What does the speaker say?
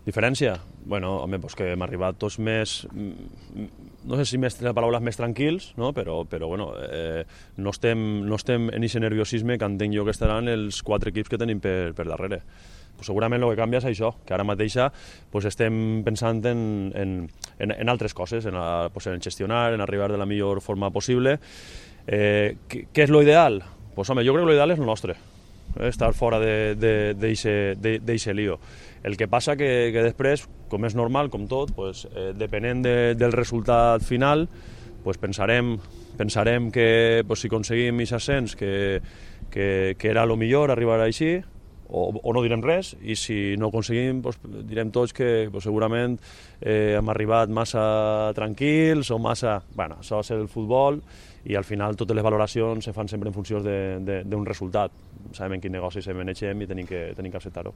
Diferència? Bueno, home, pues que hem arribat tots més, no sé si la paraula és més tranquils, no? però bueno, no estem en aquest nerviosisme que entenc jo que estaran els 4 equips que tenim per darrere. Pues segurament el que canvia és això, que ara mateix pues estem pensant en altres coses, pues en gestionar, en arribar de la millor forma possible. Què és l'ideal? Pues home, jo crec que l'ideal és el nostre, estar fora d'eixe lío. El que passa que després, com és normal, com tot, pues, depenent del resultat final, pues, pensarem que pues, si aconseguim aquest ascens que era el millor arribar així, o no direm res, i si no aconseguim pues, direm tots que pues, segurament hem arribat massa tranquils o massa... Bueno, això és el futbol i al final totes les valoracions se fan sempre en funció d'un resultat. Sabem en quin negoci se manegem i tenim que acceptar-ho.